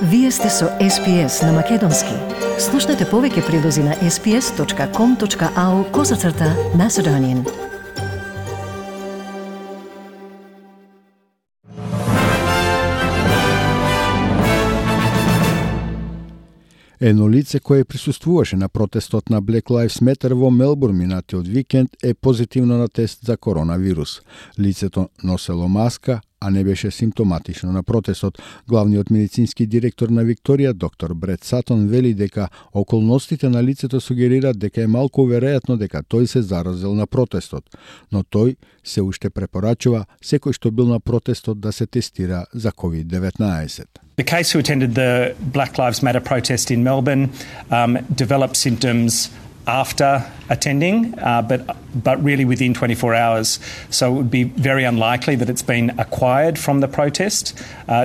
Вие сте со SPS на Македонски. Слушнете повеќе прилози на sps.com.au/Macedonian. Едно лице кое присуствуваше на протестот на Black Lives Matter во Мелбурн минатиот викенд е позитивно на тест за коронавирус. Лицето носело маска, а не беше симптоматично на протестот. Главниот медицински директор на Викторија, доктор Брет Сатон, вели дека околностите на лицето сугерираат дека е малку веројатно дека тој се заразил на протестот, но тој се уште препорачува секој што бил на протестот да се тестира за COVID-19. The case who attended the Black Lives Matter protest in Melbourne developed symptoms after attending, but really within 24 hours. So it would be very unlikely that it's been acquired from the protest.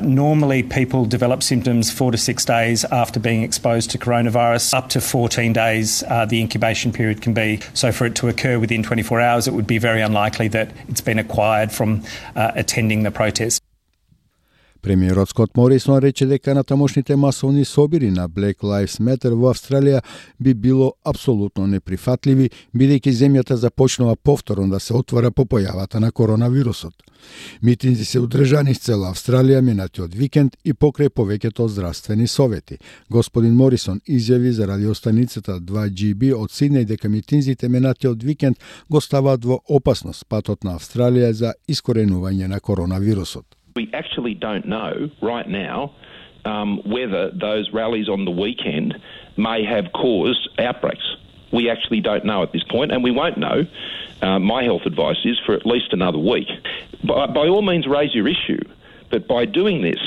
Normally people develop symptoms 4 to 6 days after being exposed to coronavirus. Up to 14 days the incubation period can be. So for it to occur within 24 hours, it would be very unlikely that it's been acquired from attending the protest. Премиерот Скот Морисон рече дека натамошните масовни собири на Black Lives Matter во Австралија би било апсолутно неприфатливи, бидејќи земјата започнува повторно да се отвара по појавата на коронавирусот. Митинзи се одржани из цела Австралија минатиот викенд и покрај повеќето здравствени совети. Господин Морисон изјави за радиостаницата 2GB од Сиднеј дека митинзите минатиот викенд го ставаат во опасност патот на Австралија за искоренување на коронавирусот. We actually don't know right now whether those rallies on the weekend may have caused outbreaks. We actually don't know at this point, and we won't know. My health advice is for at least another week. By all means, raise your issue, but by doing this,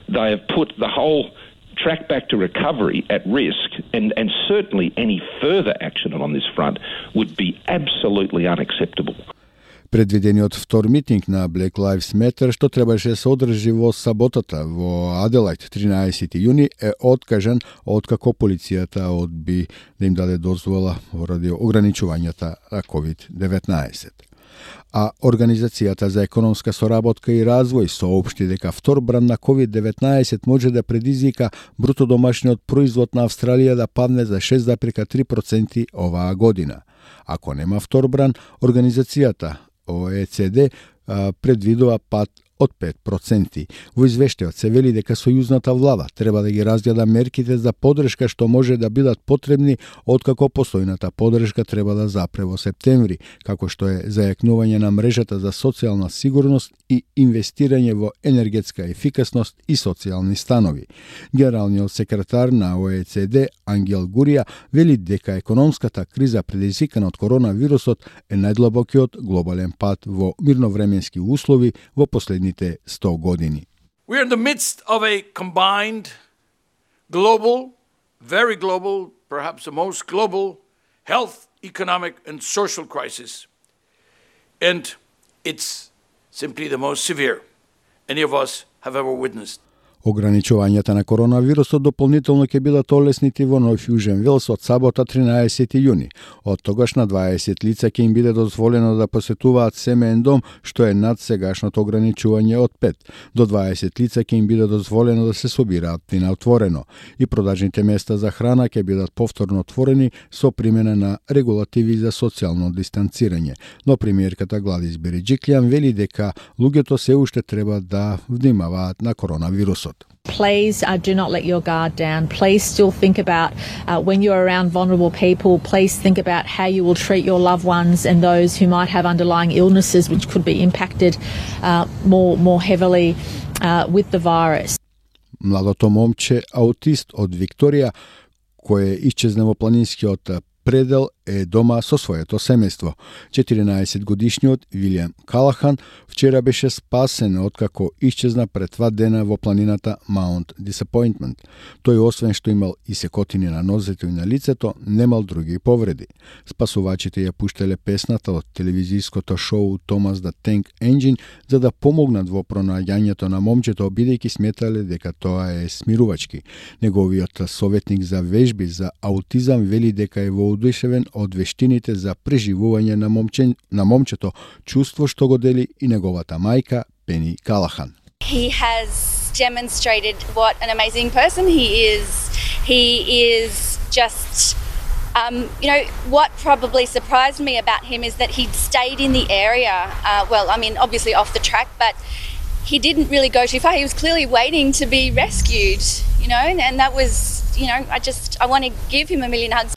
they have put the whole track back to recovery at risk, and certainly any further action on this front would be absolutely unacceptable. Предвидениот втор митинг на Black Lives Matter, што требаше да се одржи во саботата во Аделајд 13 јуни, е откажан откако полицијата одби да им даде дозвола поради ограничувањата на COVID-19. А Организацијата за економска соработка и развој соопшти дека втор бран на COVID-19 може да предизвика бруто домашниот производ на Австралија да падне за 6,3% оваа година. Ако нема втор бран, организацијата OECD предвидува пад од 5%. Во извештајот се вели дека сојузната влада треба да ги разгледа мерките за поддршка што може да бидат потребни откако постојната поддршка треба да запре во септември, како што е зајакнување на мрежата за социјална сигурност и инвестирање во енергетска ефикасност и социјални станови. Генералниот секретар на OECD Ангел Гурија вели дека економската криза предизвикана од коронавирусот е најдлабокиот глобален пат во мирновременски услови во последните 100 години. We are in the midst of a combined global, very global, perhaps the most global health, economic and social crisis. And it's simply the most severe any of us have ever witnessed. Ограничувањата на коронавирусот дополнително ќе бидат олеснити во Нов Јужен Велс од сабота 13 јуни. Од тогаш на 20 лица ќе им биде дозволено да посетуваат семеен дом, што е над сегашното ограничување од 5. До 20 лица ќе им биде дозволено да се собираат и на отворено. И продажните места за храна ќе бидат повторно отворени со примена на регулативи за социјално дистанцирање. Но премиерката Гладис Береджиклијан вели дека луѓето се уште треба да внимаваат на коронавирусот. Please do not let your guard down. Please still think about when you're around vulnerable people, please think about how you will treat your loved ones and those who might have underlying illnesses which could be impacted more heavily with the virus. Младото момче аутист од Викторија кој исчезна во планинскиот предел е дома со своето семејство. 14-годишниот Вилијам Калахан вчера беше спасен откако исчезна пред 2 дена во планината Mount Disappointment. Тој освен што имал и секотини на нозете и на лицето, немал други повреди. Спасувачите ја пуштеле песната од телевизиското шоу Thomas the Tank Engine за да помогнат во пронаѓањето на момчето, бидејќи сметале дека тоа е смирувачки. Неговиот советник за вежби за аутизам вели дека е воодушевен од вештините за преживување на момчето, чувство што го дели и неговата мајка Пени Калахан. He has demonstrated what an amazing person he is. He is just, what probably surprised me about him is that he'd stayed in the area. Obviously off the track, but he didn't really go too far. He was clearly waiting to be rescued, and that was, I want to give him a million hugs.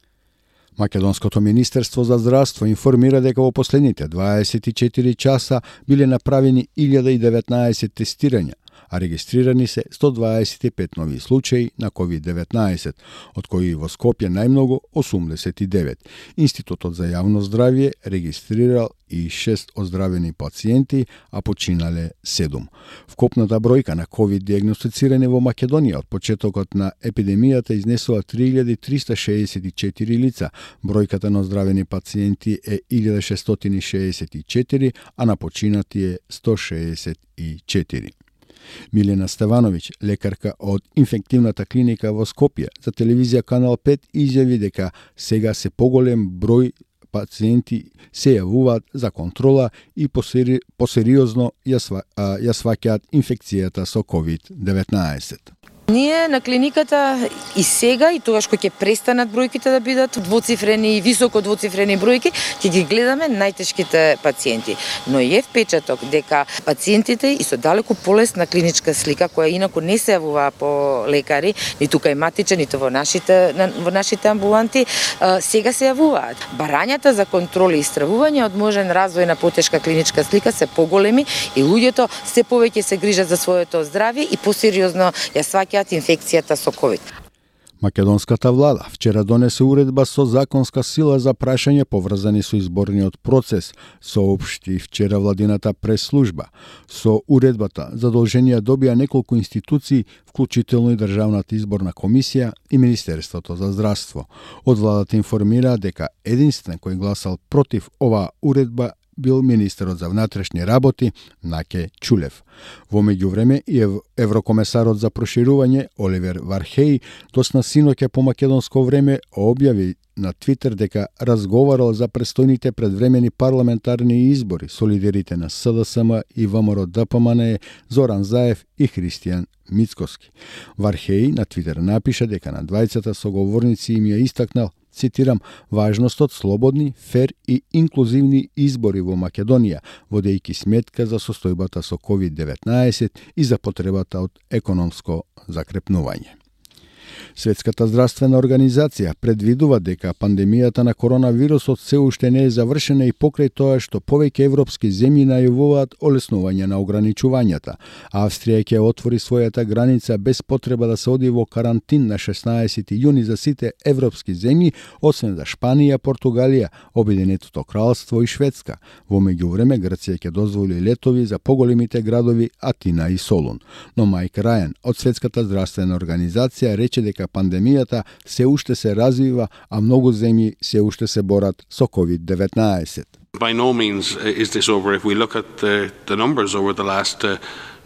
Македонското министерство за здравство информира дека во последните 24 часа биле направени 1019 тестирања, а регистрирани се 125 нови случаи на COVID-19, од кои во Скопје најмногу 89. Институтот за јавно здравје регистрирал и 6 оздравени пациенти, а починале 7. Вкупната бројка на COVID диагностицирани во Македонија од почетокот на епидемијата изнесува 3364 лица. Бројката на оздравени пациенти е 1664, а на починати е 164. Милена Стевановиќ, лекарка од инфективната клиника во Скопје, за телевизија Канал 5 изјави дека сега се поголем број пациенти се јавуваат за контрола и посериозно ја сваќаат инфекцијата со COVID-19. Ние на клиниката и сега, и тогаш кога ќе престанат бројките да бидат двоцифрени и високо двоцифрени бројки, ќе ги гледаме најтешките пациенти. Но е впечаток дека пациентите и со далеку полесна клиничка слика, која инаку не се јавува по лекари, ниту кај матичен, ниту во нашите амбуланти, сега се јавуваат. Барањата за контроли и стравување од можен развој на потешка клиничка слика се поголеми и луѓето се повеќе се грижат за своето здравје и посериозно ја сваќаат инфекцијата со COVID. Македонската влада вчера донесе уредба со законска сила за прашање поврзани со изборниот процес, соопшти вчера владината прес-служба. Со уредбата задолженија добија неколку институции, вклучително и Државната изборна комисија и Министерството за здравство. Од владата информира дека единствен кој гласал против оваа уредба бил министерот за внатрешни работи Наке Чулев. Во меѓувреме и еврокомесарот за проширување Оливер Вархеј тосна синоќа по македонско време објави на Твитер дека разговарал за престојните предвремени парламентарни избори со лидерите на СДСМ и ВМРО ДПМН Зоран Заев и Христијан Мицкоски. Вархеј на Твитер напиша дека на двајцата соговорници им ја истакнал, цитирам, важноста од слободни, фер и инклузивни избори во Македонија, водејќи сметка за состојбата со COVID-19 и за потребата од економско закрепнување. Светската здравствена организација предвидува дека пандемијата на коронавирусот се уште не е завршена и покрај тоа што повеќе европски земји најавуваат олеснување на ограничувањата. Австрија ќе отвори својата граница без потреба да се оди во карантин на 16 јуни за сите европски земји, освен за Шпанија, Португалија, Обединетото кралство и Шведска. Во меѓувреме Грција ќе дозволи летови за поголемите градови Атина и Солун. Но Майк Рајан од Светската здравствена организација рече дека пандемијата се уште се развива, а многу земји се уште се борат со COVID-19. By no means is this over. If we look at the numbers over the last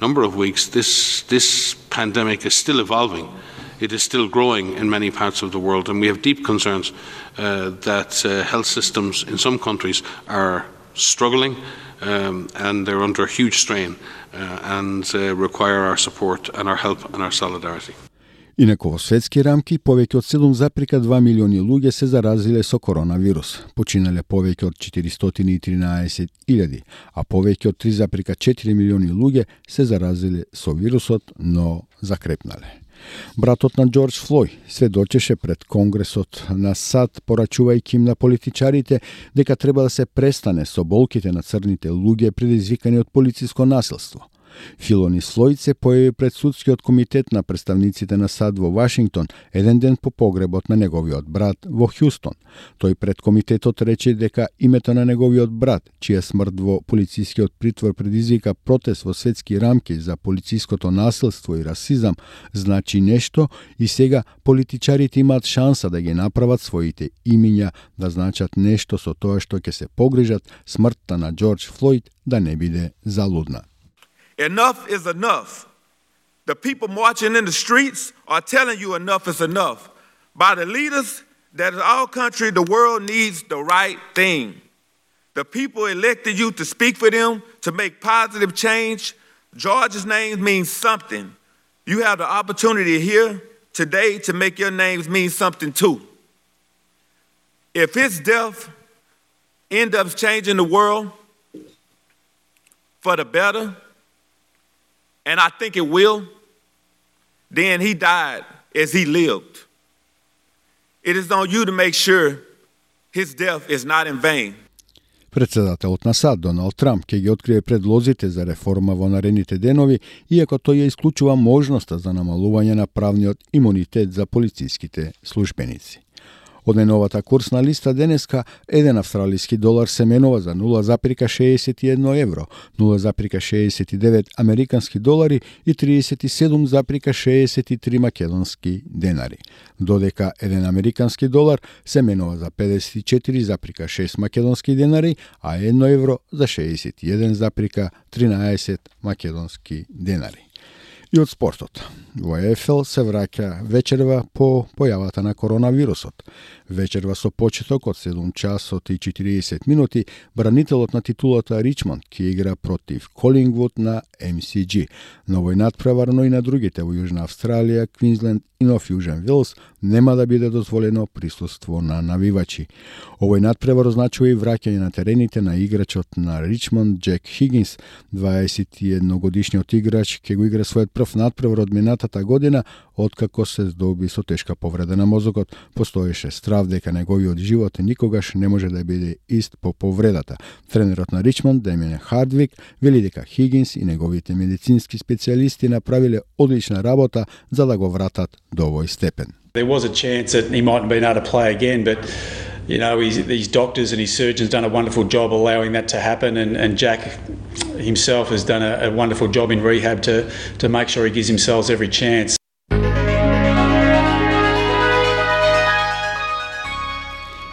number of weeks, this pandemic is still evolving. It is still growing in many parts of the world, and we have deep concerns that health systems in some countries are struggling and they're under huge strain and require our support and our help and our solidarity. Инаку во светски рамки, повеќе од 7,2 милиони луѓе се заразиле со коронавирус. Починале повеќе од 413.000, а повеќе од 3,4 милиони луѓе се заразиле со вирусот, но закрепнале. Братот на Џорџ Флојд сведочеше пред Конгресот на САД, порачувајќи им на политичарите дека треба да се престане со болките на црните луѓе предизвикани од полициско насилство. Филонис Флојд се појави пред судскиот комитет на представниците на САД во Вашингтон еден ден по погребот на неговиот брат во Хјустон. Тој пред комитетот рече дека името на неговиот брат, чија смрт во полицискиот притвор предизвика протест во светски рамки за полициското насилство и расизам, значи нешто и сега политичарите имаат шанса да ги направат своите имиња да значат нешто со тоа што ќе се погрижат смртта на Џорџ Флојд да не биде залудна. Enough is enough. The people marching in the streets are telling you enough is enough. By the leaders that in our country, the world needs the right thing. The people elected you to speak for them, to make positive change. George's name means something. You have the opportunity here today to make your names mean something too. If his death ends up changing the world for the better, and I think it will, then he died as he lived. It is on you to make sure his death is not in vain. Председателот на САД Доналд Трамп ќе ги открие предлозите за реформа во наредните денови, иако тој ја исклучува можноста за намалување на правниот имунитет за полициските службеници. Од најновата курсна листа денеска, еден австралиски долар се менува за 0,61 евро, 0,69 американски долари и 37,63 македонски денари, додека еден американски долар се менува за 54,6 македонски денари, а 1 евро за 61,13 македонски денари. И од спортот. Во ЕФЛ се враќа вечерва по појавата на коронавирусот. Вечерва со почеток од 7 часот и 40 минути, бранителот на титулата Ричмонд ќе игра против Колингвуд на MCG. На овој надпревар, но и на другите во Јужна Австралија, Квинсленд и Нов Јужен Велс нема да биде дозволено присуство на навивачи. Овој надпревар означува и враќање на терените на играчот на Ричмонд Джек Хигинс. 21-годишниот играч ќе го игра својот прв надпревар од минатата година, откако се здоби со тешка повреда на мозокот. Постоеше страв дека неговиот живот никогаш не може да биде ист по повредата. Тренерот на Ричмонд, Демиан Хардвик, вели дека Хигинс и неговите медицински специјалисти направиле одлична работа за да го вратат до овој степен. There was a chance that he mightn't been able to play again, but you know, his doctors and his surgeons done a wonderful job allowing that to happen, and Jack himself has done a wonderful job in rehab to make sure he gives himself every chance.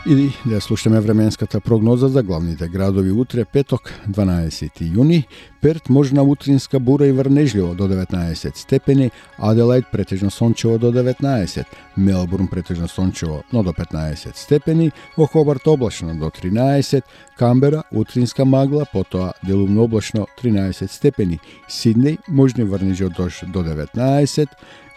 И да слушаме временската прогноза за главните градови утре, петок, 12 јуни. Перт можна утринска бура и врнежливо до 19 степени, Аделаид претежно сончево до 19, Мелбурн претежно сончево, но до 15 степени, во Хобарт облачно до 13, Камбера утринска магла, потоа делумно облачно 13 степени, Сиднеј можни врнежи од дожд до 19,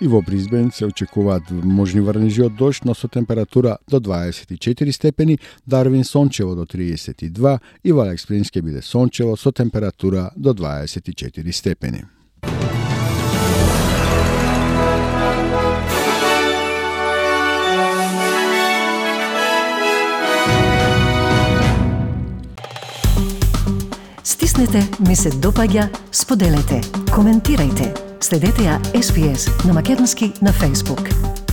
и во Брисбен се очекуваат можни врнежи од дожд, но со температура до 24 степени, Дарвин сончево до 32 и во Алекс Спрингс ќе биде сончево со температура до 24 степени. Стиснете, ми се допаѓа, споделете, коментирајте. Следете ја SPS на Македонски на Facebook.